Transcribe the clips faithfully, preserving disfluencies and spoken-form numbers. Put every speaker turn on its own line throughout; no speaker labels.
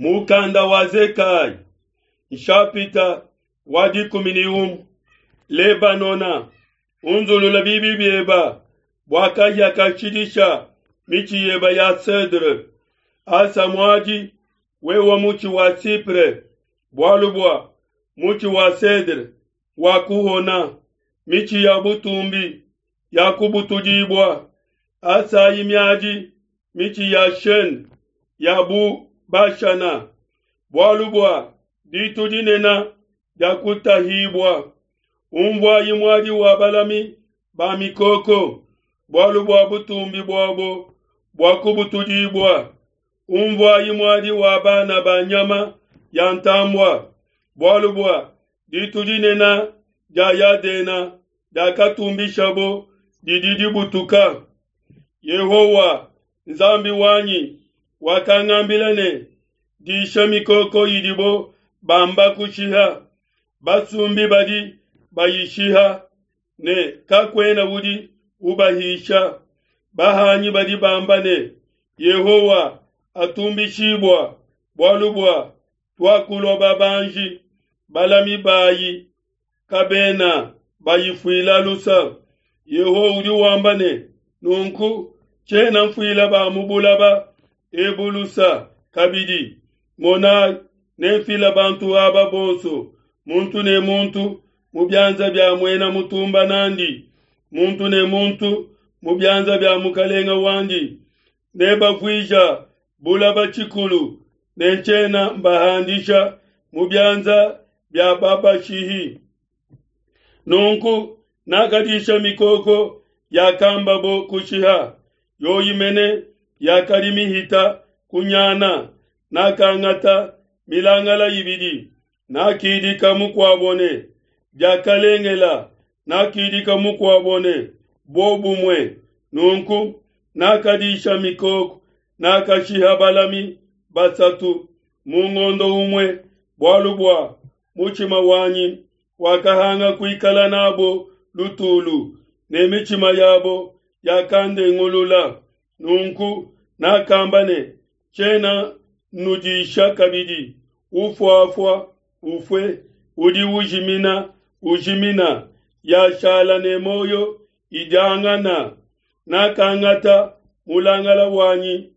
Mukanda wa Zekayi nshapita wa dikumi ne umue Lebanona unzulula bibi bieba bua kahia kashidisha mitshi yeba ya cedre. Asa muadi wewa mutshi wa sipre, bualu bua mutshi wa cedre wakuhona, mitshi ya butumbi yakubutudibua. Asayi miadi mitshi ya chene ya bu Bashana, bualu bua ditu dinene diakutahibua. Umvuayi muadi wa balami ba mikoko, bualu bua butumbi buabo buakubutudibua. Umvuayi muadi wa bana ba nyama ya ntambua, bualu bua ditu dinene dia Yadena diakatumbishabo didi dibutuka. Yehowa Nzambi wanyi wakangambila ne, disha mikoko idibo bamba kushiha, basumbi badi bayishiha, ne kakuena udi ubahisha. Bahanyi badi bamba ne, Yehowa atumbishibua, bualu bua tuakulua babanji, balami bayi kabena bayifuila lusa. Yehowa udi wamba ne, nunku tshiena mfuila ba mu bulaba ebu lusa kabidi. Monai, nenfila bantu aba bonso, muntu ne muntu mu bianza bia muena mutumba nandi, muntu ne muntu mu bianza bia mukalenga wandi. Nebavuija bulaba tshikulu, ne ntshiena mbahandisha mu bianza bia babashihi. Nunku nakadisha mikoko yakambabo kushiha, yoyi mene yakadi mihita kunyana. Nakangata milangala ibidi, nakidika mukuabo ne Diakalengela, nakidika mukuabo ne Bobumue. Nunku nakadisha mikoko, nakashiha balami basatu mu ngondo umue, bualu bua mutshima wanyi wakahanga kuikala nabo lutulu, ne mitshima yabo yakandengulula. Nunku nakamba ne, tshiena nnudisha kabidi. Ufuafua ufue, udi ujimina ujimina, yashala ne muoyo idiangana. Nakangata mulangala wanyi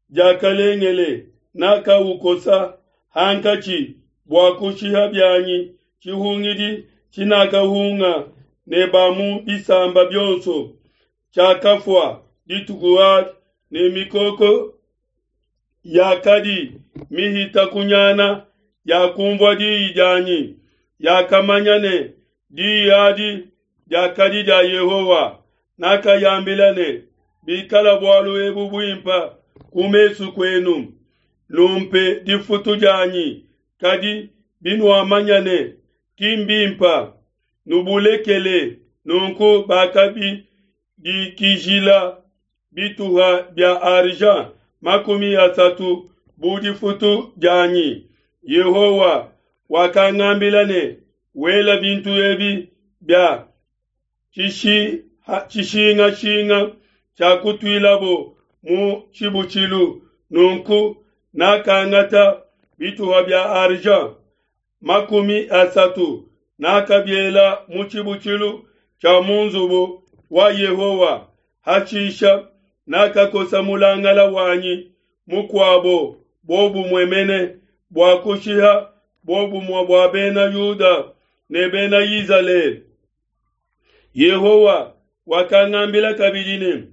Diakalengele, nakaukosa hankatshi bua kushiha bianyi tshihungidi tshinakahunga ne ba mu bisamba bionso. Tshiakafua dituku adi, ne mikoko yakadi mihita kunyana yakunvua diyi dianyi, yakamanya ne diyi adi diakadi dia Yehowa. Nakayambila ne, bikala bualu ebu buimpe ku mesu kuenu, numpe difutu dianyi, kadi binuamanya ne ki mbimpe, nubulekele. Nunku bakabidikijila bituha bia argent makumi asatu bu difutu dianyi. Yehowa wakangambila ne, wela bintu ebi bia tshishingashinga tshiakutuilabo mu tshibutshilu. Nunku nakangata bituha bia argent makumi asatu, nakabiela mu tshibutshilu tshia mu nzubu wa Yehowa. Hashisha nakakosa mulangala wanyi mukuabo bobumue mene bua kushiha bobumue bua bena Yuda ne bena Izalele. Yehowa wakangambila kabidi ne,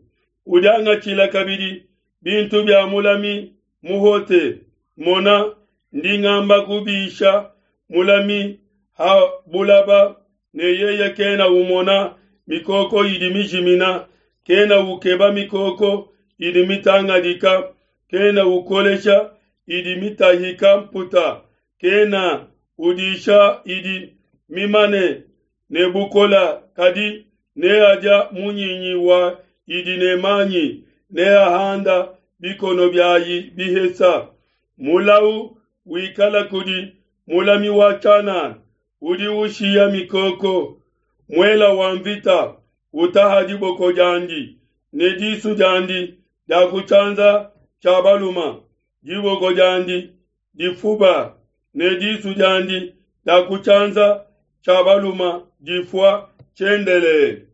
udiangatshila kabidi bintu bia mulami muhote. Mona, ndi ngamba kubisha mulami ha bulaba, ne yeye kena umona mikoko idi mijimina, kena ukeba mikoko idi mitangadika, kena ukolesha idi mitahika mputa, kena udisha idi mimane ne bukola, kadi neadia munyinyi wa idi ne manyi, neahanda bikono biayi bihesa. Mulau wikala kudi mulami wa tshianana udi ushiya mikoko, muela wa mvita utaha diboko diandi ne disu diandi dia ku tshianza tshia baluma, diboko diandi difuba, ne disu diandi dia ku tshianza tshia balume difua tshiendelele.